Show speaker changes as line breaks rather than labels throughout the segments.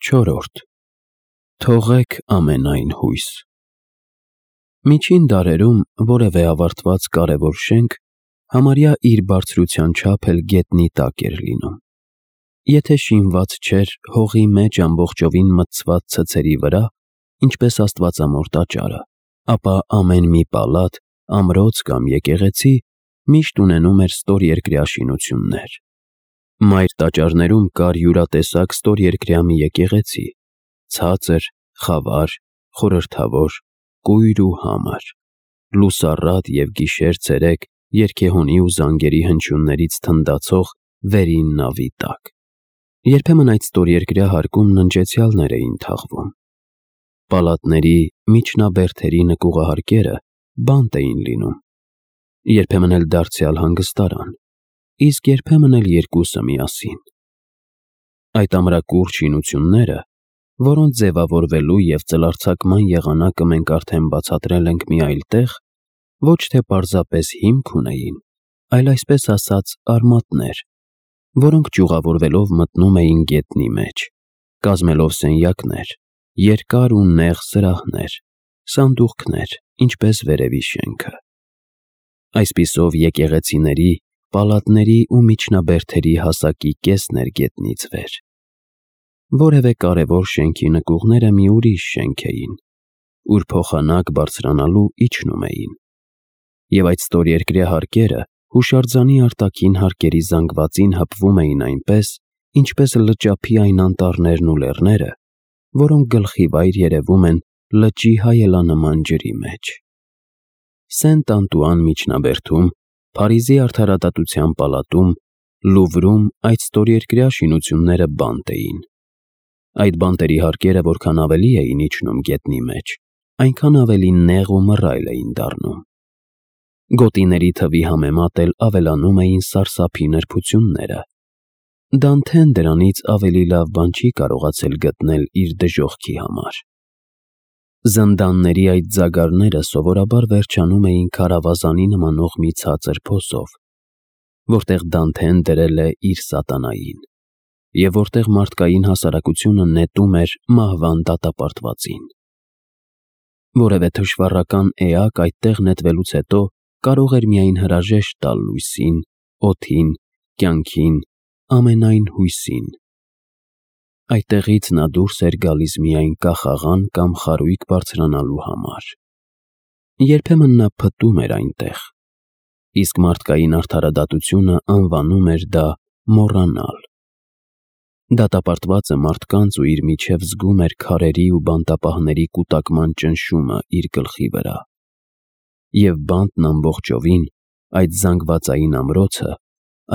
Չորրորդ. Թողեք ամենայն հույս։ Միջին դարերում որևէ ավարտված կարևոր շենք համարյա իր բարձրության չափ էլ գետնի տակ էր լինում։ Եթե շինված չէր հողի մեջ ամբողջովին մտցված ցցերի վրա, ինչպես Աստվածամոր տաճարը, ապա ամեն մի պալատ, ամրոց կամ եկեղեցի միշտ ունենում էր ստորերկրյա շինություններ։ Մայր տաճարներում կար յուրատեսակ ստորերկրյա մի եկեղեցի, ցածր, խավար, խորհրդավոր, կույր ու համր, լուսառատ և գիշեր-ցերեկ երգեհոնի ու զանգերի հնչյուններից թնդացող վերին նավի տակ։ Երբեմն այդ ստորերկրյա հարկում ննջեցյալներ էին թաղվում։ Պալատների, միջնաբերդերի նկուղահարկերը բանտ էին լինում, երբեմն էլ դարձյալ հանգստարան, իսկ երբեմն էլ երկուսը միասին։ Այդ ամրակուրճ շինությունները, որոնց ձևավորվելու և ծլարձակման եղանակը մենք արդեն բացատրել ենք մի այլ տեղ, ոչ թե պարզապես հիմք ունեին, այլ այսպես ասած արմատներ, որոնք ճյուղավորվելով մտնում էին գետնի մեջ, կազմելով սենյակներ, երկար ու նեղ սրահներ, սանդուղքներ, ինչպես վերևի շենքը։ Այսպիսով եկեղեցիների, պալատների ու միջնաբերդերի հասակի կեսն էր գետնից վեր։ Որևէ կարևոր շենքի նկուղները մի ուրիշ շենք էին, ուր փոխանակ բարձրանալու իջնում էին, և այդ ստորերկրյա հարկերը հուշարձանի արտաքին հարկերի զանգվածին հպվում էին այնպես, ինչպես լճափի այն անտառներն ու լեռները, որոնք գլխիվայր երևում են լճի հայելանման ջրի մեջ։ Սենտ-Անտուան միջնաբերդում, Փարիզի Արդարադատության պալատում, Լուվրում այդ ստորերկրյա շինությունները բանտ էին։ Այդ բանտերի հարկերը որքան ավելի էին իջնում գետնի մեջ, այնքան ավելի նեղ ու մռայլ էին դառնում։ Գոտիների թվի համեմատ էլ ավելանում էին սարսափի նրբությունները։ Դանթեն դրանից ավելի լավ բան չի կարողացել գտնել իր դժոխքի համար։ Զնդանների այդ ձագարները սովորաբար վերջանում էին քարավազանի նմանող մի ցածր փոսով, որտեղ Դանթեն դրել է իր սատանային, և որտեղ մարդկային հասարակությունը նետում էր մահվան դատապարտվածին։ Որևէ թշվառական էակ այդտեղ նետվելուց հետո կարող էր միայն հրաժեշտ տալ լույսին, օդին, կյանքին, ամենայն հույսին։ Այդտեղից նա դուրս էր գալիս միայն կախաղան կամ խարույկ բարձրանալու համար։ Երբեմն նա փտում էր այնտեղ, իսկ մարդկային արդարադատությունը անվանում էր դա մոռանալ։ Դատապարտվածը մարդկանց ու իր միջև զգում էր քարերի ու բանտապահների կուտակման ճնշումը իր գլխի վրա։ Եվ բանտն ամբողջովին, այդ զանգվածային ամրոցը,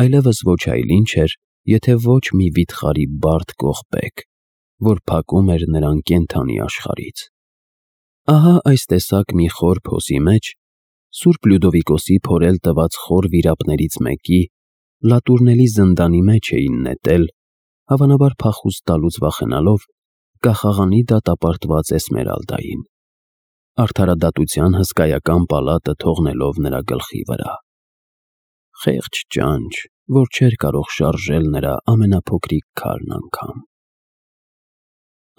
այլևս ոչ այլ ինչ էր, եթե ոչ մի վիթխարի բարդ կողպեկ, որ փակում էր նրան կենդանի աշխարհից։ Ահա այս տեսակ մի խոր փոսի մեջ Սուրբ Լյուդովիկոսի փորել տված խոր վիրապներից մեկի լատուրնելի զնդանի մեջ էին նետել, հավանաբար փախուստ տալուց վախենալով, կախաղանի դատապարտված Էսմերալդային, արդարադատության հսկայական պալատը թողնելով նրա գլխի վրա։ Խեղճ ճանճ, որ չէր կարող շարժել նրա ամենափոքրիկ քարն անգամ։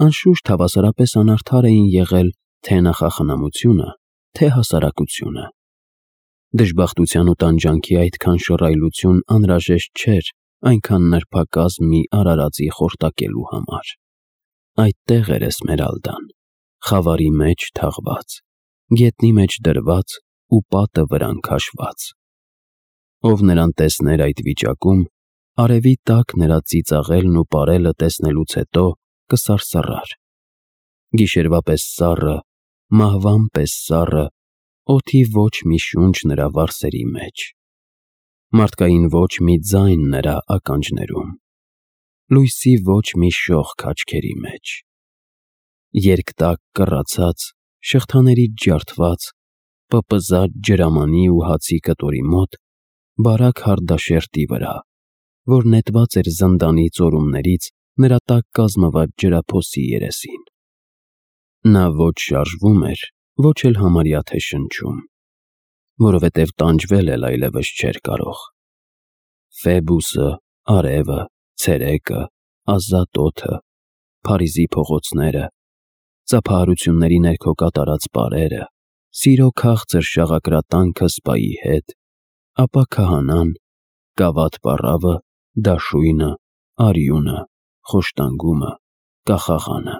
Անշուշտ հավասարապես անարդար էին եղել թե նախախնամությունը, թե հասարակությունը։ Դժբախտության ու տանջանքի այդքան շռայլություն անհրաժեշտ չէր այնքան նրբակազմ մի արարածի խորտակելու համար։ Այդտեղ էր Էսմերալդան, խավարի մեջ թաղված, գետնի մեջ դրված ու պատը վրան քաշված։ Ով նրան տեսներ այդ վիճակում, արևի տակ նրա ծիծաղելն ու պարելը տեսնելուց հետո կսարսռար։ Գիշերվա պես սառը, մահվան պես սառը, օդի ոչ մի շունչ նրա վարսերի մեջ, մարդկային ոչ մի ձայն նրա ականջներում, լույսի ոչ մի շողք աչքերի մեջ։ Երկտակ կռացած, շղթաներից ջարդված, պպզած ջրամանի ու հացի կտորի մոտ, բարակ հարդաշերտի վրա, որ նետված էր զնդանի ծորումներից նրա տակ կազմված ջրափոսի երեսին։ Նա ոչ շարժվում էր, ոչ էլ համարյա թե շնչում, որովհետև տանջվել էլ այլևս չէր կարող։ Ֆեբուսը, արևը, ցերեկը, ազատ օդը, Փարիզի փողոցները, ծափահարությունների ներքո կատարած պարերը, սիրո քաղցր շաղակրատանքը սպայի հետ, ապա քահանան, կավատ պառավը, դաշույնը, արյունը, խոշտանգումը, կախաղանը։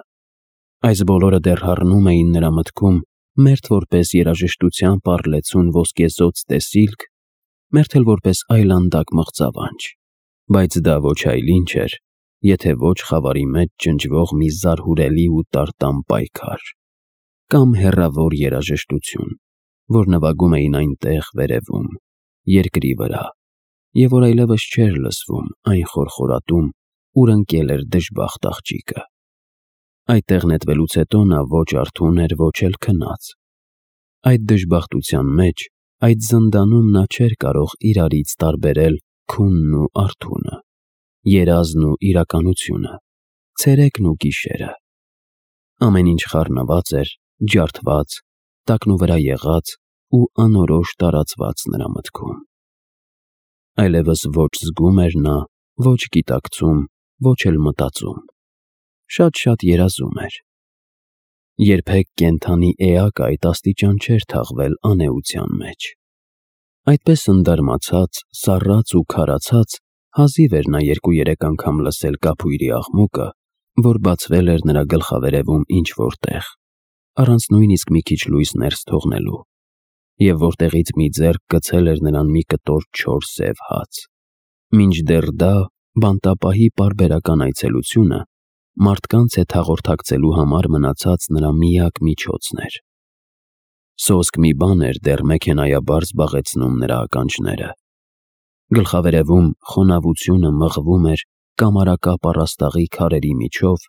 Այս բոլորը դեռ հառնում էին նրա մտքում, մերթ որպես երաժշտության պառլեցուն ոսկեզօծ տեսիլք, մերթ էլ որպես այլանդակ մղձավանջ, բայց դա ոչ այլ ինչ էր, եթե ոչ խավարի մեջ ջնջվող մի զարհուրելի ու տարտամ պայքար, կամ հեռավոր երաժշտություն, որ նվագում էին այնտեղ վերևում, երկրի վրա, և որ այլևս չէր լսվում այն խորխորատում, ուր ընկել էր դժբախտ աղջիկը։ Այդտեղ նետվելուց հետո նա ոչ արթուն էր, ոչ էլ քնած։ Այդ դժբախտության մեջ, այդ զնդանում նա չէր կարող իրարից տարբերել քունն ու արթունը, երազն ու իրականությունը, ցերեկն ու գիշերը։ Ամեն ինչ խառնված էր, ջարդված, տակնուվրա եղած ու անորոշ տարածված նրա մտքում։ Այլևս ոչ զգում էր նա, ոչ գիտակցում, ոչ էլ մտածում։ Շատ-շատ երազում էր։ Երբեք կենդանի էակը այդ աստիճան չէր թաղվել անեության մեջ։ Այդպես ընդարմացած, սառած ու քարացած, հազիվ էր նա 2-3 անգամ լսել կափույրի աղմուկը, որ բացվել էր նրա գլխավերևում ինչ-որ տեղ, առանց նույնիսկ մի քիչ լույս ներս թողնելու, և որտեղից մի ձեռք գցել էր նրան մի կտոր չոր սև հաց։ Մինչդեռ դա բանտապահի պարբերական այցելությունը մարդկանց հետ հաղորդակցելու համար մնացած նրա միակ միջոցն էր։ Սոսկ մի բան էր դեռ մեքենայաբար զբաղեցնում նրա ականջները։ Գլխավերևում խոնավությունը մղվում էր կամարակապ առաստաղի քարերի միջով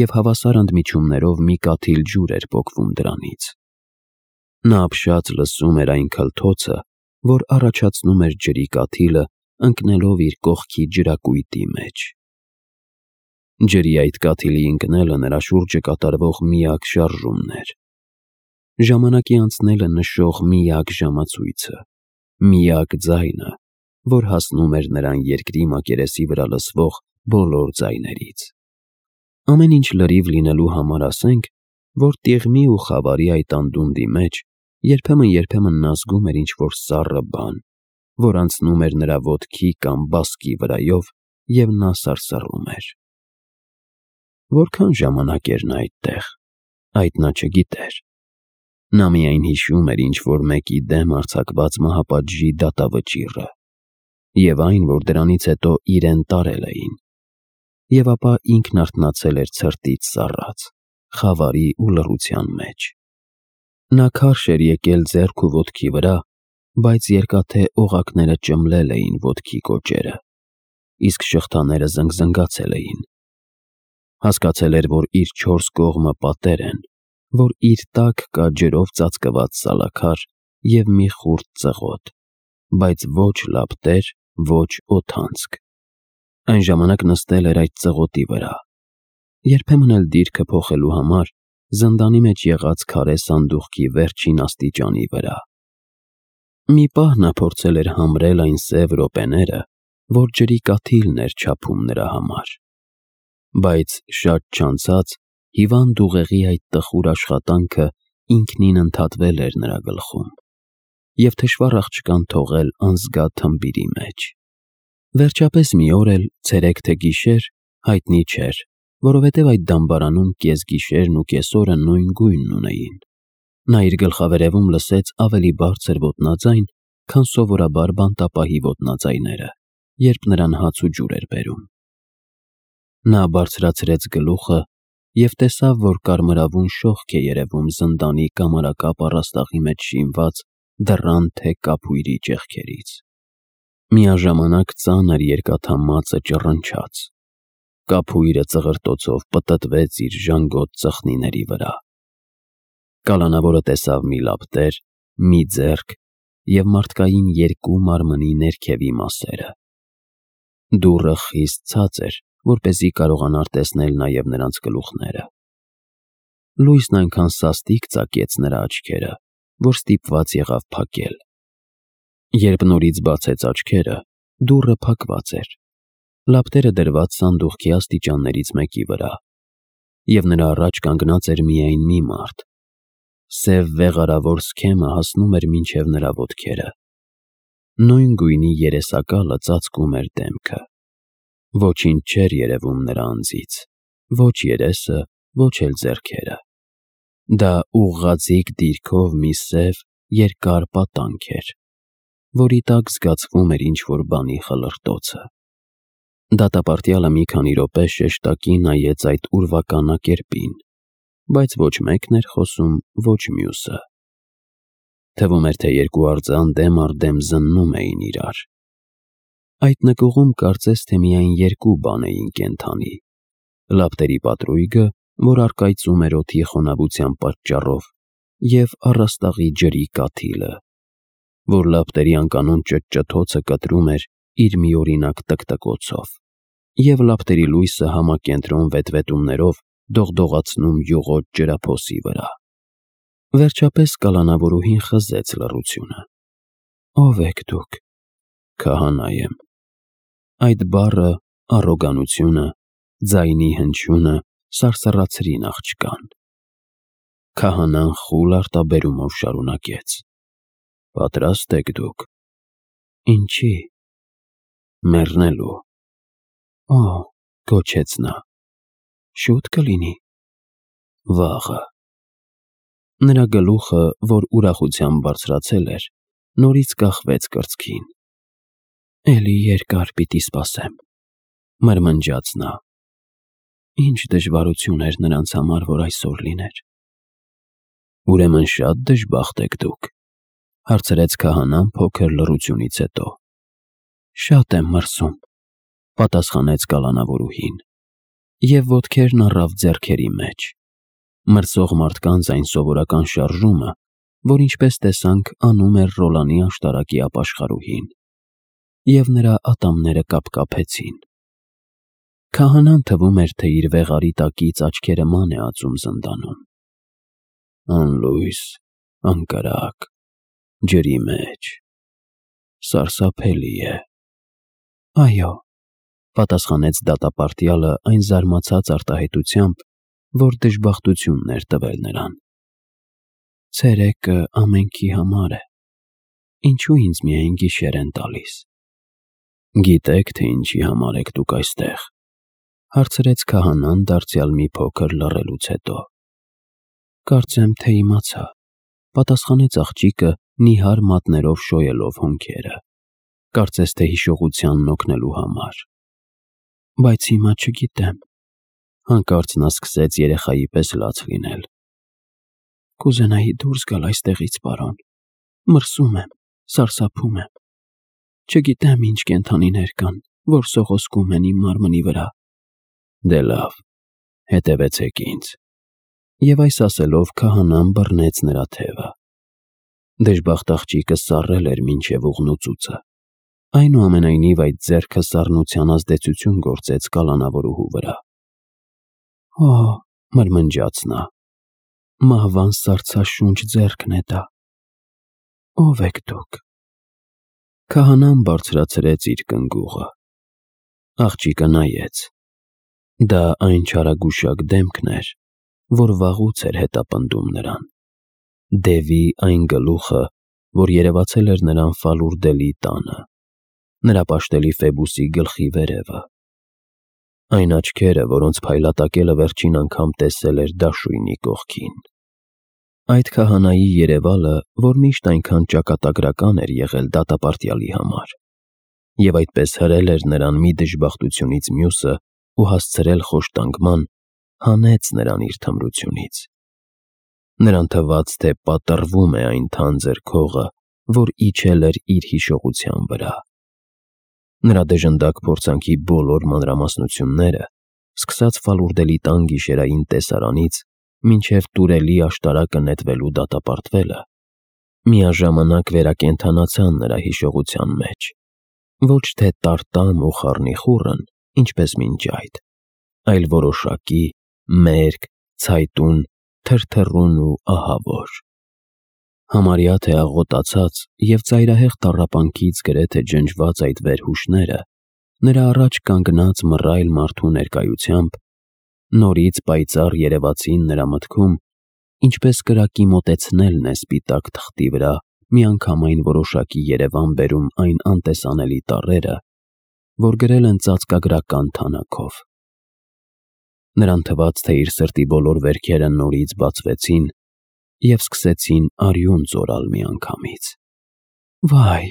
և հավասար ընդմիջումներով մի կաթիլ ջուր էր պոկվում դրանից։ Նա ապշած լսում էր այն քլթոցը, որ առաջացնում էր ջրի կաթիլը ընկնելով իր կողքի ջրակույտի մեջ։ Ջրի այդ կաթիլի ընկնելը նրա շուրջը կատարվող միակ շարժումն էր։ Ժամանակի անցնելը նշող միակ ժամացույցը, միակ ձայնը, որ հասնում էր նրան երկրի մակերեսի վրա լսվող բոլոր ձայներից։ Ամեն ինչ լրիվ լինելու համար ասենք, որ տիղմի ու խավարի այդ անդունդի մեջ երբեմն նա զգում էր ինչ-որ սառը բան, որ անցնում էր նրա ոտքի կամ բասկի վրայով, և նա սարսռում էր։ Որքան ժամանակ էր նա այդտեղ, այդ նա չգիտեր։ Նա միայն հիշում էր ինչ-որ մեկի դեմ արձակված մահապատժի դատավճիռը, և այն, որ դրանից հետո իրեն տարել էին, և ապա ինքն արթնացել էր ցրտից սառած, խավարի ու լռության մեջ։ Նա քարշ էր եկել ձեռք ու ոտքի վրա, բայց երկաթե օղակները ճմլել էին ոտքի կոճերը, իսկ շղթաները զնգզնգացել էին։ Հասկացել էր, որ իր 4 կողմը պատեր են, որ իր տակ կա ջրով ծածկված սալաքար և մի խուրդ ծղոտ, բայց ոչ լապտեր, ոչ օդանցք։ Այն ժամանակ նստել էր այդ ծղոտի վրա, երբեմն էլ դիրքը փոխելու համար զնդանի մեջ եղած քարե սանդուղքի վերջին աստիճանի վրա։ Մի պահ նա փորձել էր համրել այն սև րոպեները, որ ջրի կաթիլն էր չափում նրա համար, բայց շատ չանցած հիվանդ ուղեղի այդ տխուր աշխատանքը ինքնին ընդհատվել էր նրա գլխում, և թշվառ աղջկան թողել անզգա թմբիրի մեջ։ Վերջապես մի օր էլ, ցերեկ թե գիշեր, հայտնի չէր, որովհետև այդ դամբարանում կեսգիշերն ու կեսօրը նույն գույնն ունեին։ Նա իր գլխավերևում լսեց ավելի բարձր ոտնաձայն, քան սովորաբար բանտապահի ոտնաձայները, երբ նրան հաց ու ջուր էր բերում։ Նա բարձրացրեց գլուխը և տեսավ, որ կարմրավուն շողք է երևում զնդանի կամարակապ առաստաղի մեջ շինված դռան թե կափույրի ճեղքերից։ Միաժամանակ ծանր երկաթամածը ճռնչաց։ Կափույրը ծղրտոցով պտտվեց իր ժանգոտ ծխնիների վրա։ Կալանավորը տեսավ մի լապտեր, մի ձեռք և մարդկային 2 մարմնի ներքևի մասերը։ Դուռը խիստ ցած էր, որպեսզի կարողանար տեսնել նաև նրանց գլուխները։ Լույսն այնքան սաստիկ ծակեց նրա աչքերը, որ ստիպված եղավ փակել։ Երբ նորից բացեց աչքերը, դուռը փակված էր, լապտերը դրված սանդուղքի աստիճաններից մեկի վրա, և նրա առաջ կանգնած էր միայն մի մարդ։ Սև վեղարավոր սքեմը հասնում էր մինչև նրա ոտքերը։ Նույն գույնի երեսակալը ծածկում էր դեմքը։ Ոչինչ չէր երևում նրա անձից, ոչ երեսը, ոչ էլ ձեռքերը։ Դա ուղղաձիգ դիրքով մի սև, երկար պատանք էր, որի տակ զգացվում էր ինչ-որ բանի խլրտոցը։ Դատապարտյալը մի քանի րոպե շեշտակի նայեց այդ ուրվականակերպին, բայց ոչ մեկն էր խոսում, ոչ մյուսը։ Թվում էր, թե երկու արձան դեմ առ դեմ զննում էին իրար։ Այդ նկուղում կարծես թե միայն երկու բան էին կենդանի՝ լապտերի պատրույգը, որ առկայծում էր օդի խոնավության պատճառով, և առաստաղի ջրի կաթիլը, որ լապտերի անկանոն ճտճթոցը կտրում էր իր միօրինակ տկտկոցով, և լապտերի լույսը համակենտրոն վետվետումներով դողդողացնում յուղոտ ջրափոսի վրա։ Վերջապես կալանավորուհին խզեց լռությունը։ «Ո՞վ եք դուք»։ «Քահանա եմ»։ Այդ բառը, առոգանությունը, ձայնի հնչյունը սարսռացրին աղջկան։ Քահանան խուլ արտաբերումով շարունակեց. «Պատրաստ եք դուք»։ «Ինչի»։ «Մեռնելու»։ «Օ», գոչեց նա, «շուտ կլինի»։ «Վաղը»։ Նրա գլուխը, որ ուրախությամբ բարձրացել էր, նորից կախվեց կրծքին։ «Էլի երկար պիտի սպասեմ», մրմնջաց նա։ Ինչ դժվարություն էր նրանց համար, որ այսօր լիներ։ «Ուրեմն շատ դժբախտ եք դուք», հարցրեց քահանան փոքր լռությունից հետո։ «Շատ եմ մրսում», պատասխանեց կալանավորուհին, և ոտքերն առավ ձեռքերի մեջ։ Մրսող մարդկանց այն սովորական շարժումը, որ ինչպես տեսանք անում էր Ռոլանի աշտարակի ապաշխարուհին, և նրա ատամները կապկապեցին։ Քահանան թվում էր, թե իր վեղարի տակից աչքերը ման է ածում զնդանում։ «Անլույս, անկրակ, ջրի մեջ, սարսափելի է»։ «Այո», պատասխանեց դատապարտյալը այն զարմացած արտահայտությամբ, որ դժբախտությունն էր տվել նրան։ «Ցերեկը ամենքի համար է, ինչու ինձ միայն գիշեր են տալիս»։ «Գիտեք, թե ինչի համար եք դուք այստեղ», հարցրեց քահանան դարձյալ մի փոքր լռելուց հետո։ «Կարծեմ, թե իմացա», պատասխանեց աղջիկը նիհար մատներով շոյելով հոնքերը, կարծես թե հիշողությանն օգնելու համար։ «Բայց հիմա չգիտեմ»։ Հանկարծ նա սկսեց երեխայի պես լաց լինել։ «Կուզենայի դուրս գալ այստեղից, պարոն։ Մրսում եմ, սարսափում եմ։ Չգիտեմ ինչ կենդանիներ կան, որ սողոսկում են իմ մարմնի վրա»։ «Դե լավ, հետևեցեք ինձ»։ Եվ այս ասելով քահանան բռնեց նրա թևը։ Դժբախտ աղջիկը սառել էր մինչև ուղնուծուծը։ Այնուամենայնիվ այդ ձեռքը սառնության ազդեցություն գործեց կալանավորուհու վրա։ «Օ», մրմնջաց նա, «մահվան սառցաշունչ ձեռքն է դա։ Ո՞վ եք դուք»։ Քահանան բարձրացրեց իր կնգուղը։ Աղջիկը նայեց։ Դա այն չարագուշակ դեմքն էր, որ վաղուց էր հետապնդում նրան։ Դևի այն գլուխը, որ երևացել էր նրան Ֆալուրդելի տանը, նրա պաշտելի Ֆեբուսի գլխի վերևը։ Այն աչքերը, որոնց փայլատակելը վերջին անգամ տեսել էր դաշույնի կողքին։ Այդ քահանայի երևալը, որ միշտ այնքան ճակատագրական էր եղել դատապարտյալի համար, և այդպես հրել էր նրան մի դժբախտությունից մյուսը ու հասցրել խոշտանգման, հանեց նրան իր թմրությունից։ Նրան թվաց, թե պատռվում է այն թանձր քողը, որ իջել էր իր հիշողության վրա։ Նրա դժնդակ փորձանքի բոլոր մանրամասնությունները, սկսած Ֆալուրդելի տան գիշերային տեսարանից մինչև տուրելի աշտարակը նետվելու դատապարտվելը, միաժամանակ վերակենդանացան նրա հիշողության մեջ, ոչ թե տարտամ ու խառնիխուռն, ինչպես մինչ այդ, այլ որոշակի, մերկ, ցայտուն, թրթռուն ու ահավոր։ Համարյա թե աղոտացած և ծայրահեղ տառապանքից գրեթե ջնջված այդ վերհուշները նրա առաջ կանգնած մռայլ մարդու ներկայությամբ Նորից պայծառ երևացին նրա մտքում, ինչպես կրակի մոտեցնելն է սպիտակ թղթի վրա միանգամայն որոշակի երևան բերում այն անտեսանելի տառերը, որ գրել են ծածկագրական թանաքով։ Նրան թվաց, թե իր սրտի բոլոր վերքերը նորից բացվեցին և սկսեցին արյուն ծորալ միանգամից։ «Վայ»,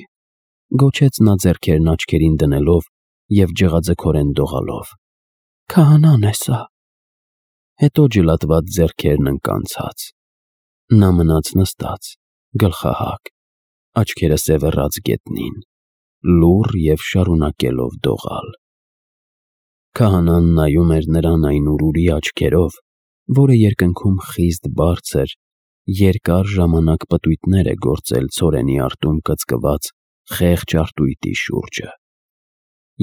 գոչեց նա ձեռքերն աչքերին դնելով և ջղաձգորեն դողալով, «քահանան է սա»։ Հետո ջլատված ձեռքերն ընկանցած։ Նա մնաց նստած, գլխահակ, աչքերը սևեռած գետնին, լուռ և շարունակելով դողալ։ Քահանան նայում էր նրան այն ուրուրի աչքերով, որը երկնքում խիստ բարձր, երկար ժամանակ պտույտներ է գործել ցորենի արտում կծկված խեղճ արտույտի շուրջը,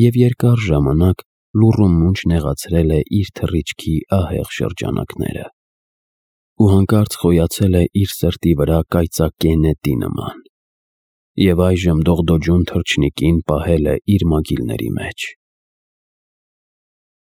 և երկար ժամանակ լուռ ու մունջ նեղացրել է իր թռիչքի ահեղ շրջանակները, ու հանկարծ խոյացել է իր սրտի վրա կայծակե նետի նման, և այժմ դողդոջուն թռչնիկին պահել է իր մագիլների մեջ։